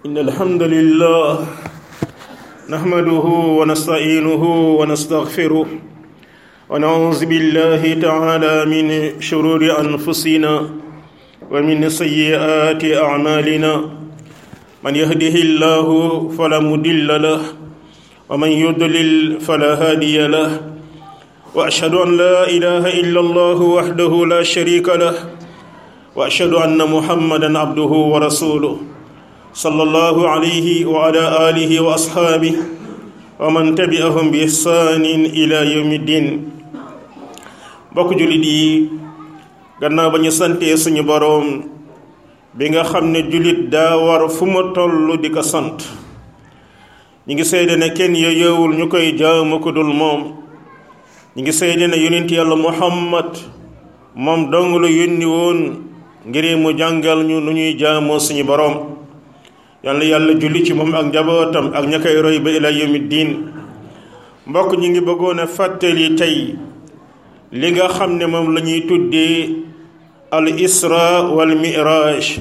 إن الحمد لله نحمده ونستعينه ونستغفره ونعوذ بالله تعالى من شرور أنفسنا ومن سيئات أعمالنا من يهده الله فلا مضل له ومن يضلل فلا هادي له وأشهد أن لا إله إلا الله وحده لا شريك له وأشهد أن محمدا عبده ورسوله صلى الله عليه وعلى آله وأصحابه ومن تبعهم بإحسان إلى يوم الدين bokk jullit yi gannaaw ba ñu santee suñu boroom bi nga xam ne jullit daa war fu ma toll di ko sant ñi ngi seede ne kenn yeyowul ñu koy jaamu ko dul moom ñi ngi seede ne yonent yàlla Muhammad moom dong la yónni woon ngir mu jàngal ñu nu ñuy jaamoo suñu boroom yàlla julli ci moom ak njabootam ak ña koy roy ba ila yawmi diin mbokk ñi ngi bëggoon a fàttali tey li nga xam ne moom la ñuy tuddee al isra wal miraj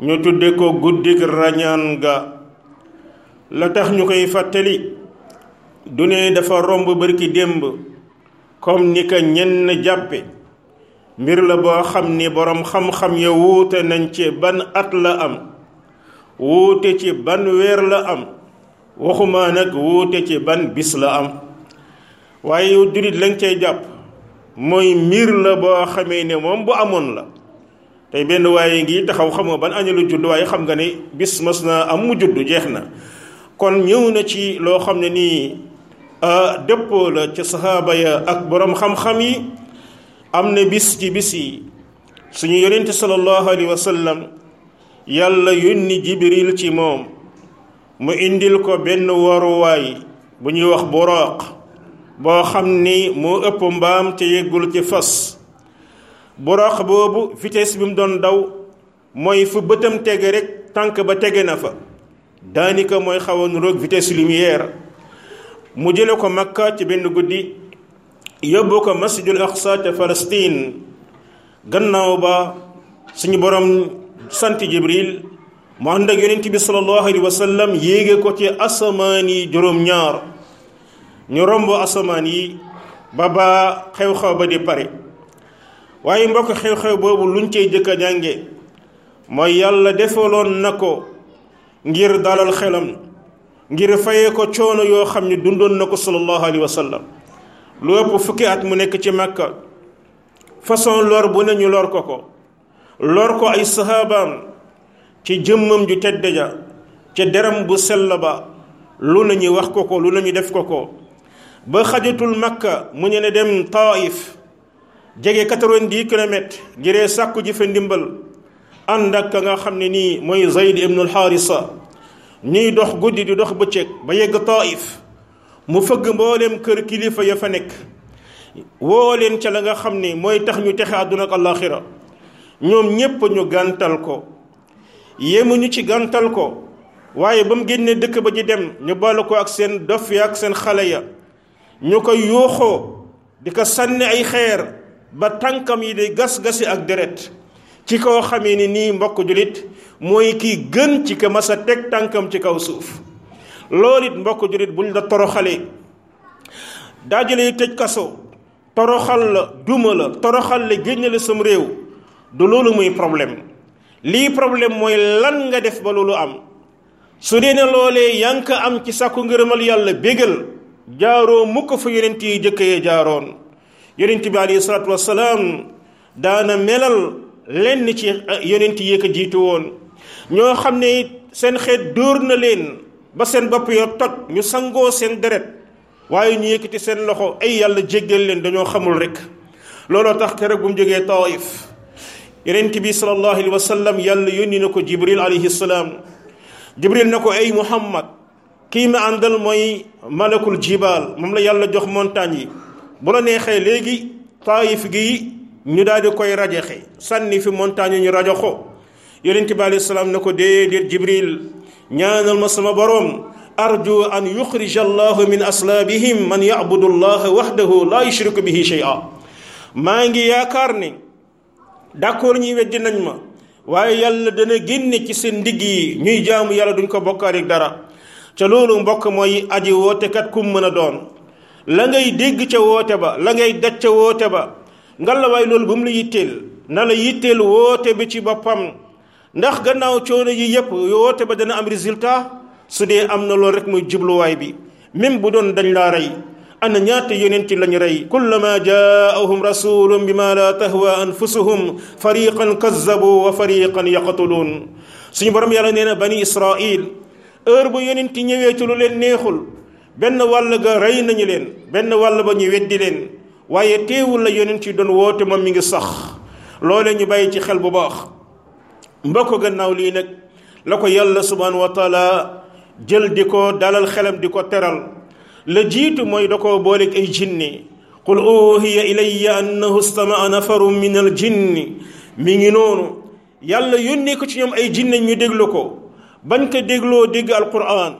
ñu tudde ko guddik rañaan ga la tax ñu koy fàttali du ne dafa romb barki démb comme ni ko ñenn jàppe mbir la boo xam ni boroom xam-xam ya wuute nañ ci ban at la am wuute ci ban weer la am waxuma nag wuute ci ban bis la am waaye yow jullit lañ cay jàpp mooy mbir la boo xamee ne moom bu amoon la tey benn waaye ngi taxaw xam nga ban añu la judd waaye xam nga ne bis mas na am mu judd jeex na kon ñëw na ci loo xam ne nii dëppoo la ci saxaaba ya ak boroom xam-xam yi am na bis ci bis yi suñu yonente sallallahu alayhi wa sallam yàlla yónni jibril ci moom mu indil ko benn waruwaay bu ñuy wax buraaq boo xam ni moo ëpp mbaam te yeggul ci fas buraaq boobu vitesse bi mu doon daw mooy fu bëtam tege rek tànk ba tege na fa daanaka mooy xaw a nuroog vitesse lumière mu jële ko Makka ci benn guddi yóbbu ko masjidul aqsa ca Palestine gannaaw ba suñu borom sant jibril mu ànd ak yonent bi sallallahu alayhi wa sallam yéege ko ci asamaan yi juróom-ñaar ñu romb asamaan yi ba xew-xew ba di pare waaye mbokk xew-xew boobu luñ cey jëkk a jànge mooy yàlla defaloon na ko ngir dalal xelam ngir fayee ko coono yoo xam ne dundoon na ko sallallahu alayhi wa sallam lu ëpp fukki at mu nekk ci Makka façon lor bu ne ñu lor ko ay sahabaam ci jëmmam ju tedd ja ca deram bu sell ba lu nañu wax ko lu nañu def ko ba xajatul Makka mu ñu ne dem Taif jege 90 kilomètres ngiree sàkku ji fa ndimbal ànd ak ka nga xam ne nii mooy Zayd ibnul Haarisa ñuy dox guddi di dox bëccëg ba yegg Taif mu fëgg mboolem kër kilifa ya fa nekk woo leen ca la nga xam ne mooy tax ñu texe àdduna ak àllaaxira ñoom ñépp ñu gàntal ko yéemuñu ci gàntal ko waaye ba mu génnee dëkk ba ji dem ñu bala ko ak seen dof ya ak seen xale ya ñu ko yuuxoo di ko sànni ay xeer ba tànkam yi di gas-gasi ak deret ci koo xamee ni nii mbokk julit mooy kii gën ci ko mas a teg tànkam ci kaw suuf loolu it mbokk julit buñ la toroxalee daajale tëj kaso toroxal la duma la toroxal la génne la sam réew du loolu muy problème lii problème mooy lan nga def ba loolu am su dee ne loolee yaa ngi ko am ci sàkku ngërëmal yàlla bégal jaaroo mukk fa yonent yi jëkk yee jaaroon yonent bi alayhi salaatu wassalaam daana melal lenn ci yonent yi ko jiitu woon ñoo xam ne seen xeet dóor na leen ba seen bopp yo toj ñu sangoo seen deret waaye ñu yëkkati seen loxo ay yàlla jéggal leen dañoo xamul rek looloo tax keroog bu mu jógee Taif yonent bi sallallahu alayhi wa sallam yàlla yónni na ko jibril alayhi salaam jibril na ko ay Muhammad kii ma àndal mooy malakul jibaal moom la yàlla jox montagne yi bu la neexee léegi Taif gi ñu daal di koy rajaxe sànni fi montagne yi ñu rajoxo yonent bi alayhi salaam na ko déedéet jibril ñaanal ma sama boroom arju an yuxrija allahu min aslaabihim man yabudu allaha wahdahu la yushriku bihi shay'a maa ngi yaakaar ne d'accord ñi weddi nañ ma waaye yàlla dana génne ci seen ndigg yi ñuy jaamu yàlla duñ ko bokkaale dara ca loolu mbokk mooy aji wootekat kum mën a doon la ngay dégg ca woote ba la ngay daj ca woote ba ngallaawaay loolu bu mu la yitteel na la yitteel woote bi ci boppam ndax gannaaw coono yi yépp woote ba dana am résultat su dee am na loolu rek muy jubluwaay bi même bu doon dañ laa rey ana ñaata yonent lañu rey kullama jaahum rasulun bima la tahwa anfusuhum fariqan kazzabu wa fariqan yaqtuluun suñu borom yàlla nee na bani israil heure bu yonent ñëwee ci lu leen neexul benn wàll ga rey nañu leen benn wàll ba ñu weddi leen waaye teewul la yonent yi doon woote moom mi ngi sax loole ñu bàyyi ci xel bu baax mbokk gannaaw lii nag la ko yàlla subhanahu wa taala jël di ko dalal xelam di ko teral la jiitu mooy da koo booleeg ay jinni qul uhiya ilayya annahu stamaa nafarun min al jinni mi ngi noonu yàlla yónnee ko ci ñoom ay jinne ñu déglu ko bañ ko dégloo dégg alquran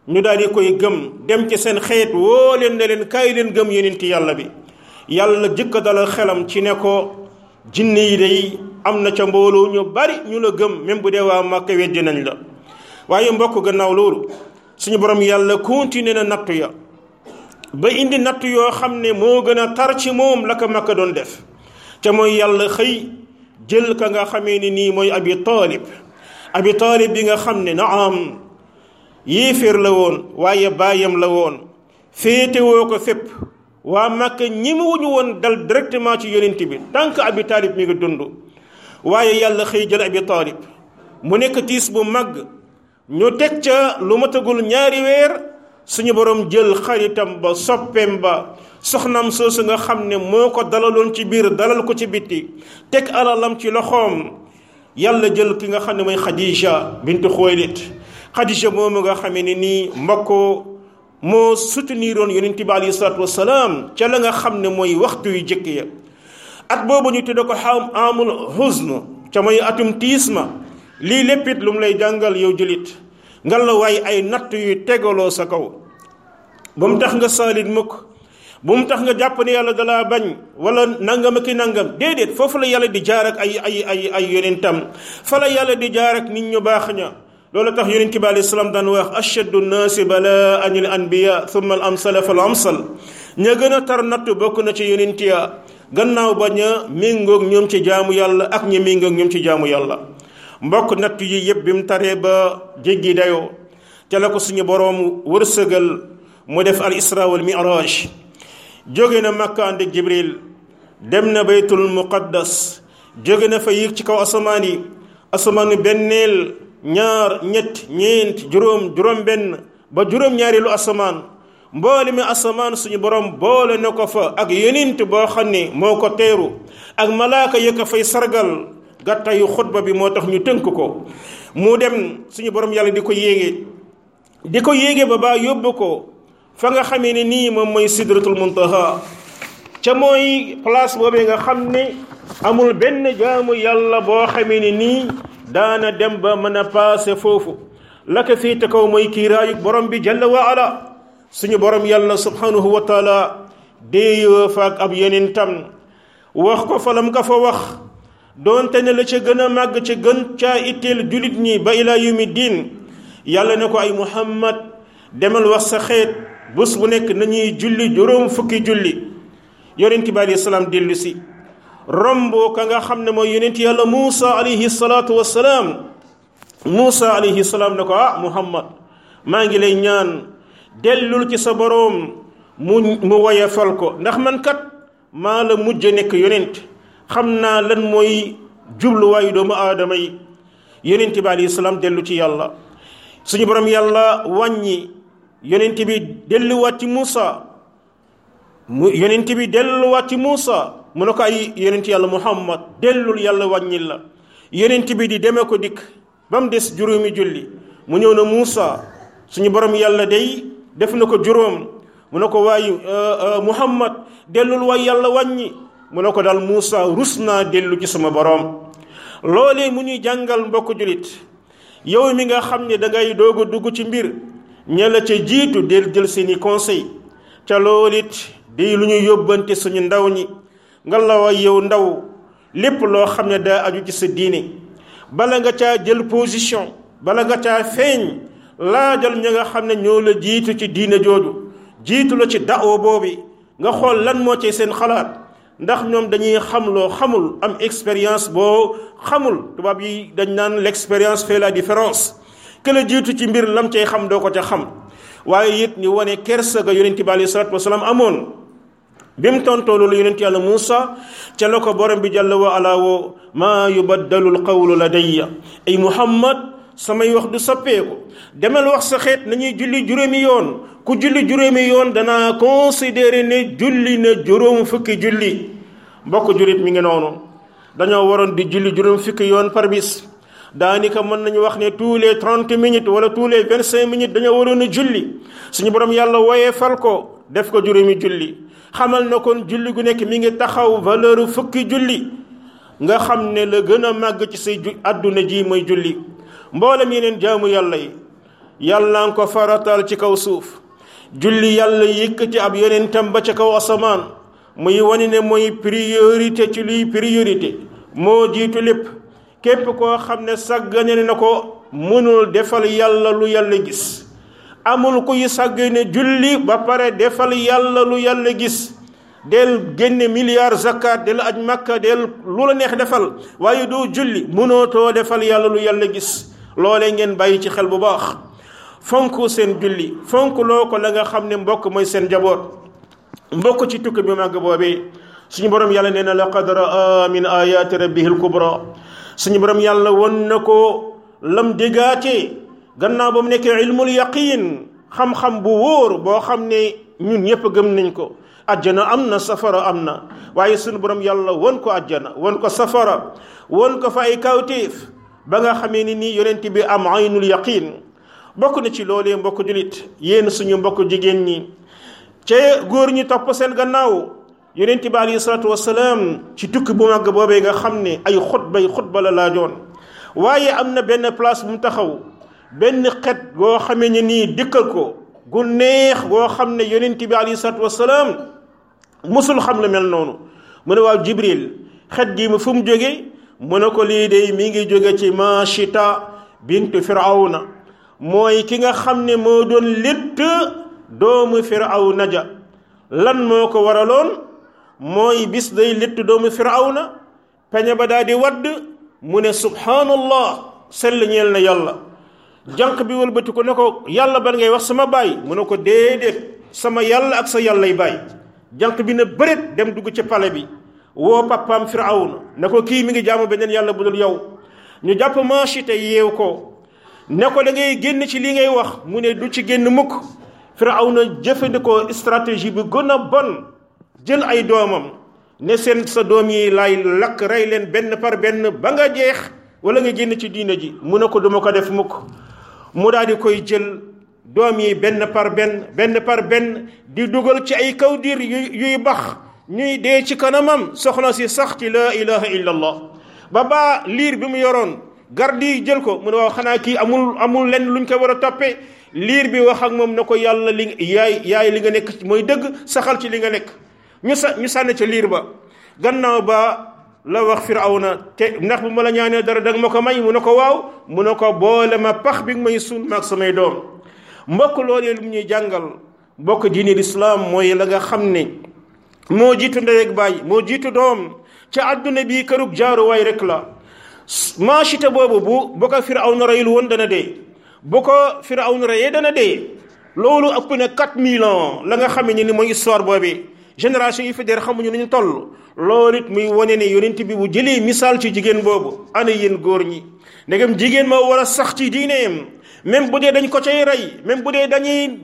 ñu daal di koy gëm dem ci seen xeet woo leen ne leen kaay leen gëm yonent yàlla bi yàlla jëkk dalal xelam ci ne ko jinne yi day am na ca mbooloo ñu bari ñu la gëm même bu dee waa Màkka weddi nañ la waaye mbokk gannaaw loolu suñu borom yàlla continué na nattu ya ba indi nattu yoo xam ne moo gën a tar ci moom la ko Makka doon def ca mooy yàlla xëy jël ka nga xamee ni nii mooy abi taalib bi nga xam ne naam yéeféer la woon waaye baayam la woon féetewoo ko fépp waa Makka ñi mu wuñu woon dal directement ci yonent bi tant que abi taalib mi ngi dund waaye yàlla xëy jël abi taalib mu nekk tiis bu màgg ñu teg ca lu matagul ñaari weer suñu borom jël xaritam ba soppeem ba soxnam soosu nga xam ne moo ko dalaloon ci biir dalal ko ci bitti teg alalam ci loxoom yàlla jël ki nga xam ne mooy Khadija bintu Xuwaylid Khadija moomu nga xamee ne nii mbokk moo souteniroon yonent bi alayhi salaatu wasalaam ca la nga xam ne mooy waxtu yu jëkk ya at boobu ñu tudde ko amul huzn ca mooy atum tiis ma lii léppit lu mu lay jàngal yow julit nga la waay ay natt yu tegaloo sa kaw bu mu tax nga saalit mukk bu mu tax nga jàpp ne yàlla dalaa bañ wala nangam ak i nangam déedéet foofu la yàlla di jaar ak ay yonentam fa la yàlla di jaar ak nit ñu baax ña loolu tax yonent bi alayhi salaam daan wax ashaddu nnaasi balaa anil anbiya thumma al amsala fal amsal ña gën a tar natt bokk na ci yonent ya gannaaw ba ña méngoog ñoom ci jaamu yàlla ak ña méngoog ñoom ci jaamu yàlla mbokk natt yi yëpp bi mu taree ba jéggi dayoo ca la ko suñu boroom wërsëgal mu def al isra wal mi'raj jóge na Makka ànd ak Jibril dem na baytul muqaddas jóge na fa yéeg ci kaw asamaan yi asamaanu benneel ñaar ñett ñeent juróom benn ba juróom-ñaareelu asamaan mboole mi asamaan suñu borom boole na ko fa ak yonent boo xam ne moo ko teeru ak malaaka ya ko fay sargal gàttayu xutba bi moo tax ñu tënk ko mu dem suñu borom yàlla di ko yéege ba baa yóbbu ko fa nga xamee ne nii moom mooy sidratul muntaha ca mooy place boobee nga xam ne amul benn jaamu yàlla boo xamee ne nii daana dem ba mën a paase foofu la ko féete kaw mooy kiiraayug borom bi jalla wa ala suñu borom yàlla subhanahu wa taala déeyoo fa ak ab yonentam wax ko fa lam ka fa wax doonte ne la ca gën a màgg ca gën caa itteel julit ñi ba ila yawmi diin yàlla ne ko ay muhammad demal wax sa xeet bés bu nekk nañuy julli juróom fukki julli yonent bi alayhi salaam dellu si romb ka nga xam ne mooy yonent yàlla Muusa alayhi salaatu wassalaam Muusa alayhi salaam ne ko muhammad maa ngi lay ñaan dellul ci sa boroom mu woyefal ko ndax man kat maa la mujj nekk yonent xam naa lan mooy jubluwaayu doomu aadama yi yonent bi alayhi salaam dellu ci yàlla suñu borom yàlla wàññi yonent bi delluwaat ci Muusa yonent bi delluwaat ci Muusa mu ne ko ay yonent yàlla Muhammad dellul yàlla wàññil la yonent bi di deme ko dikk ba mu des juróomi julli mu ñëw na Muusa suñu borom yàlla day def na ko juróom mu ne ko waaye Muhammad dellul waay yàlla wàññi mu ne ko daal Muusa rus naa dellu ci sama borom loolee mu ñuy jàngal mbokk julit yow mi nga xam ne dangay doog a dugg ci mbir ña la ca jiitu del jël seeni conseil ca loolit di lu ñu yóbbante suñu ndaw ñi nga la way yow ndaw lépp loo xam ne daa aju ci sa diine bala nga caa jël position bala nga caa feeñ laajal ñi nga xam ne ñoo la jiitu ci diine jooju jiitu la ci da'wa boobi nga xool lan moo ci seen xalaat ndax ñoom dañuy xam loo xamul am expérience boo xamul tubaab yi dañ naan l'expérience fait la différence que la jiitu ci mbir lam cay xam doo ko ca xam waaye it ñu wane kersa ga yonent bi alayhi salaatu wasalaam amoon bi mu tontoo loolu yonent yàlla Muusa ca la ko borom bi jàlla wa ala woo maa yubaddalu alqawlu ladayya ay Muhammad samay wax du soppeeku demal wax sa xeet nañuy julli juróomi yoon ku julli juróomi yoon danaa considéré ne julli na juróom fukki julli mbokk jurit mi ngi noonu dañoo waroon di julli juróom fukki yoon par bis daanaka mën nañu wax ne tous les 30 minutes wala tous les 25 minutes dañoo waroon a julli suñu borom yàlla wooyee fal ko def ko juróomi julli xamal na kon julli gu nekk mi ngi taxaw valeur fukki julli nga xam ne la gën a màgg ci say àdduna ji mooy julli mboolem yeneen jaamu yàlla yi yàlla nga ko faratal ci kaw suuf julli yàlla yëkkati ab yonentam ba ca kaw asamaan muy wane ne mooy priorité ci luy priorité moo jiitu lépp képp koo xam ne sàggane na ko mënul defal yàlla lu yàlla gis amul kuy sàggane julli ba pare defal yàlla lu yàlla gis del génne milliard zakat del aj makka del lu la neex defal waaye doo julli mënootoo defal yàlla lu yàlla gis loolee ngeen bàyyi ci xel bu baax fonk seen julli fonk loo ko la nga xam ne mbokk mooy seen jaboot mbokk ci tukki bi màgg boobee suñu borom yàlla nee na laqad raa min ayati rabbihil kubra suñu borom yàlla won na ko lam déggaatee gannaaw ba mu nekkee ilmul yaqin xam-xam bu wóor boo xam ne ñun ñëpp gëm nañ ko ajjana am na safara am na waaye suñu borom yàlla won ko ajjana won ko safara won ko fa ay kawtéef ba nga xamee ni nii yonent bi am aynul yaqin bokk na ci loolee mbokk julit yéen suñu mbokk jigéen ñi ca góor ñi topp seen gannaaw yonent bi alayhi salaatu wasalaam ci tukki bu màgg boobee nga xam ne ay xutba la laajoon waaye am na benn place bu mu taxaw benn xet goo xamee ne nii dikkal ko gu neex goo xam ne yonent bi alayhi salaatu wasalaam musul xam lu mel noonu mu ne waaw Jibril xet gi mu fu mu jóge mu ne ko lii de mi ngi jóge ci Mashita bintu Firawna mooy ki nga xam ne moo doon létt doomu Firawna ja lan moo ko waraloon mooy bis day létt doomu Firawna peñe ba daal di wadd mu ne subhanallah sell ñeel na yàlla jànq bi wëlbati ko ne ko yàlla ban ngay wax sama baay mu ne ko déedéet sama yàlla ak sa yàllay baay jànq bi ne bëreet dem dugg ci pale bi woo papaam Firawna ne ko kii mi ngi jaamu beneen yàlla bu dul yow ñu jàpp Mashita yeew ko ne ko da ngay génn ci li ngay wax mu ne du ci génn mukk Firawna jëfandikoo stratégie bi gën a bon jël ay doomam ne seen sa doom yi laay lakk rey leen benn par benn ba nga jeex wala nga génn ci diina ji mu ne ko duma ko def mukk mu daal di koy jël doom yi benn par benn di dugal ci ay kawdir yuy bax ñuy dee ci kanamam soxna si sax ci la ilaha illa allah ba liir bi mu yoroon garde yi jël ko mu ne waaw xanaa kii amul lenn luñ ko war a toppee liir bi wax ak moom na ko yàlla li yaay li nga nekk mooy dëgg saxal ci li nga nekk ñu sànni ca liir ba gannaaw ba la wax Firawna te ndax bu ma la ñaanee dara danga ma ko may mu ne ko waaw mu ne ko boole ma pax bi nga may suul maag samay doom mbokk loolee lu mu ñuy jàngal mbokk diine lislaam mooy la nga xam ne moo jiitu ndey ak baay moo jiitu doom ca àdduna bii kërug jaaruwaay rek la Mashita boobu bu ko Firawna reyul woon dana dee bu ko Firawna reyee dana dee loolu ëpp na 4000 ans la nga xam ne ni mooy histoire boobu génération yi fi der xamuñu ni ñu toll loolu it muy wane ne yonent bi bu jëlee misaal ci jigéen boobu ana yéen góor ñi ndegam jigéen moo war a sax ci diineem même bu dee dañ ko cay rey même bu dee dañuy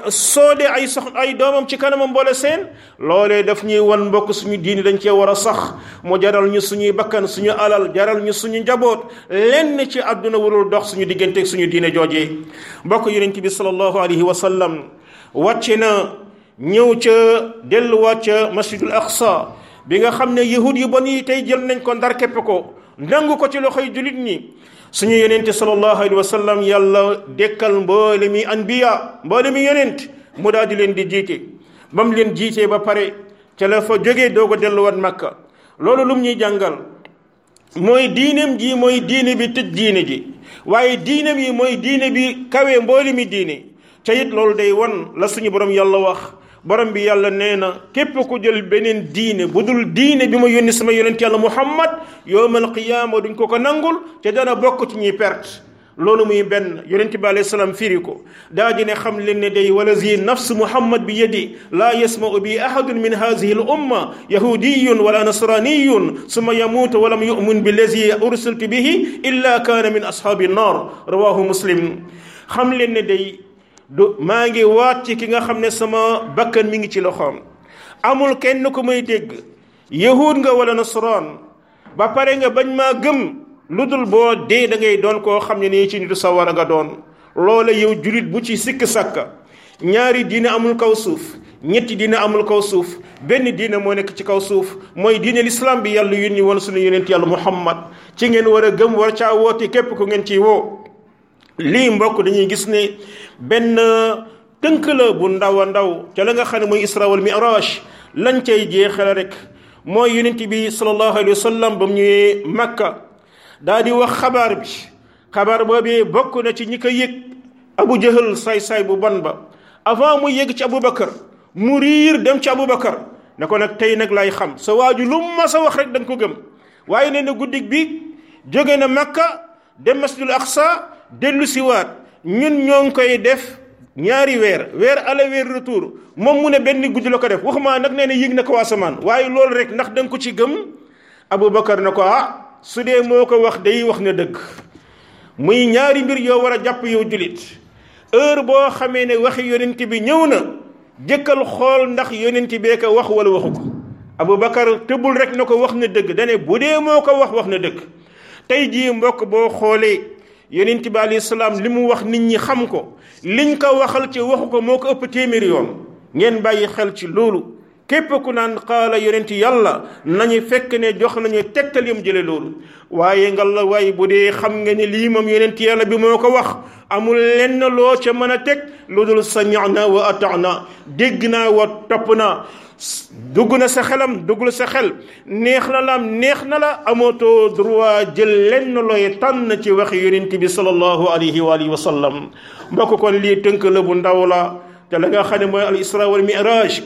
soode ay doomam ci kanamam boole seen loolee daf ñuy wan mbokk suñu diini dañ cee war a sax mu jaral ñu suñuy bakkan suñu alal jaral ñu suñu njaboot lenn ci àdduna warul dox suñu diggante ak suñu diine joojee mbokk yonent bi sallallahu alayhi wa sallam wàcce na ñëw ca delluwaat ca masjidul aqsa bi nga xam ne yahud yu bon yi tey jël nañ ko ndar képp ko nangu ko ci loxoy julit ñi suñu yonente sallallahu alayhi wa sallam yàlla dekkal mboole mi anbiya mboole mi yonent mu daal di leen di jiite ba mu leen jiitee ba pare ca la fa jógee doog a delluwaat makka loolu lum ñuy jàngal mooy diineem ji mooy diine bi tëj diine ji waaye diineem yi mooy diine bi kawe mbooli mi diine ca it loolu day wan la suñu borom yàlla wax borom bi yàlla nee na képp ku jël beneen diine bu dul diine bi ma yónni sama yonent yàlla Muhammad yawmal qiyaama duñ ko nangul te dana bokk ci ñuy perte loolu muy benn yonent bi alayhi salaam firi ko daa di ne xam leen ne day walazi nafsu Muhammad bi yadi laa yasma'u bi ahadun min haadihi al umma yahudiyun wala nasraniyun summa yamuutu walam yu'min billazi ursiltu bihi illa kaana min ashaabi nnar rawahu Muslim xam leen ne day maa ngi waat ci ki nga xam ne sama bakkan mi ngi ci loxoom amul kenn ku may dégg yahud nga wala nasraan ba pare nga bañ maa gëm lu dul boo dee da ngay doon koo xam ne nii ci nitu sawara nga doon loola yow julit bu ci sikk sàkka ñaari diine amul kaw suuf ñetti diine amul kaw suuf benn diine moo nekk ci kaw suuf mooy diine l'islam bi yàlla yónni woon suñu yonent yàlla Muhammad ci ngeen war a gëm war caa woote képp ku ngeen ciy woo lii mbokk dañuy gis ne benn tënk la bu ndaw a ndaw ca la nga xam ne mooy isra wal mi'raj lañ cay jeexal rek mooy yonent bi sallallahu alayhi wa sallam ba mu ñëwee Makka daa di wax xabaar boobee bokk na ci ñi ko yëg Abu Jahal saay-saay bu bon ba avant mu yëg ci Aboubacar mu riir dem ci Aboubacar ne ko nag tey nag lay xam sa waaju lu ma sa wax rek da nga ko gëm waaye nee na guddig bi jóge na Makka dem masjidul Aqsa dellu siwaat ñun ñoo ngi koy def ñaari weer aller weer retour moom mu ne benn guddi la ko def waxuma nag nee na yëg na ko asamaan waaye loolu rek ndax da nga ko ci gëm Aboubacar ne ko su dee moo ko wax day wax na dëgg muy ñaari mbir yoo war a jàpp yow julit heure boo xamee ne waxi yonent bi ñëw na jëkkal xool ndax yonent bee ko wax wala waxu ko Aboubacar tëbul rek na ko wax na dëgg dane bu dee moo ko wax na dëgg tey jii mbokk boo xoolee yonent bi alayhi salaam li mu wax nit ñi xam ko liñ ko waxal ci waxu ko moo ko ëpp téeméeri yoon ngeen bàyyi xel ci loolu képp ku naan qaala yonent yàlla nañu fekk ne jox nañu tegtal yam jële loolu waaye nga la waaye bu dee xam nga ne lii moom yonent yàlla bi moo ko wax amul lenn loo ca mën a teg lu dul sami'na wa ata'na dégg naa wa topp naa dugg na sa xelam duggul sa xel neex na la neex na la amootoo droit jël lenn looy tànn ci waxi yonent bi sallallahu alayhi wa alihi wa sallam mbokk kon lii tënk la bu ndaw la te la nga xam ne mooy al isra wal mi'raj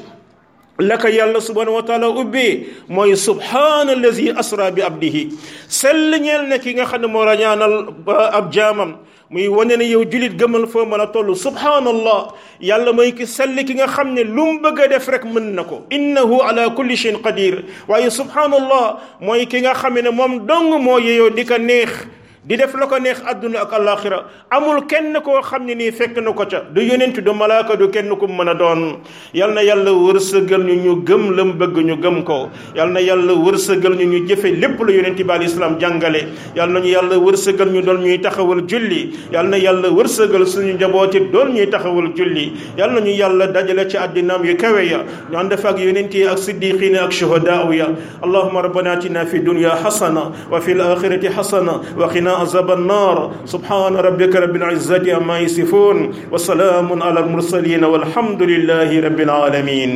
la ko yàlla subhanahu wa taala ubbee mooy subhaana allazi asra bi abdihi sell ñeel na ki nga xam ne moo rañaanal ab jaamam muy wane ne yow julit gëmal foo mën a toll subhaanallah yàlla mooy ki sell ki nga xam ne lu mu bëgg a def rek mën na ko innahu ala kulli shay'in qadir waaye subhaanallah mooy ki nga xam ne moom dong moo yeyoo di ko neex di def la ko neex àdduna ak alaxira amul kenn koo xam ne nii fekk na ko ca du yonent du malaaka du kenn ku mën a doon yal na yàlla wërsëgal ñu gëm lam bëgg ñu gëm ko yal na yàlla wërsëgal ñu jëfe lépp lu yonent bi alayhi salaam jàngale yal nañu yàlla wërsëgal ñu doon ñuy taxawal julli yal na yàlla wërsëgal suñu njabooti doon ñuy taxawal julli yal nañu yàlla dajale ci àddinaam yu kawe ya ñu ànd fa ak yonent yi ak siddiqin ak shuhadaa ya allahumma rabbana atina fi dunya hasana wa fil akhirati hasana wa qina عذاب النار سبحان ربك رب العزة عما يصفون وسلام على المرسلين والحمد لله رب العالمين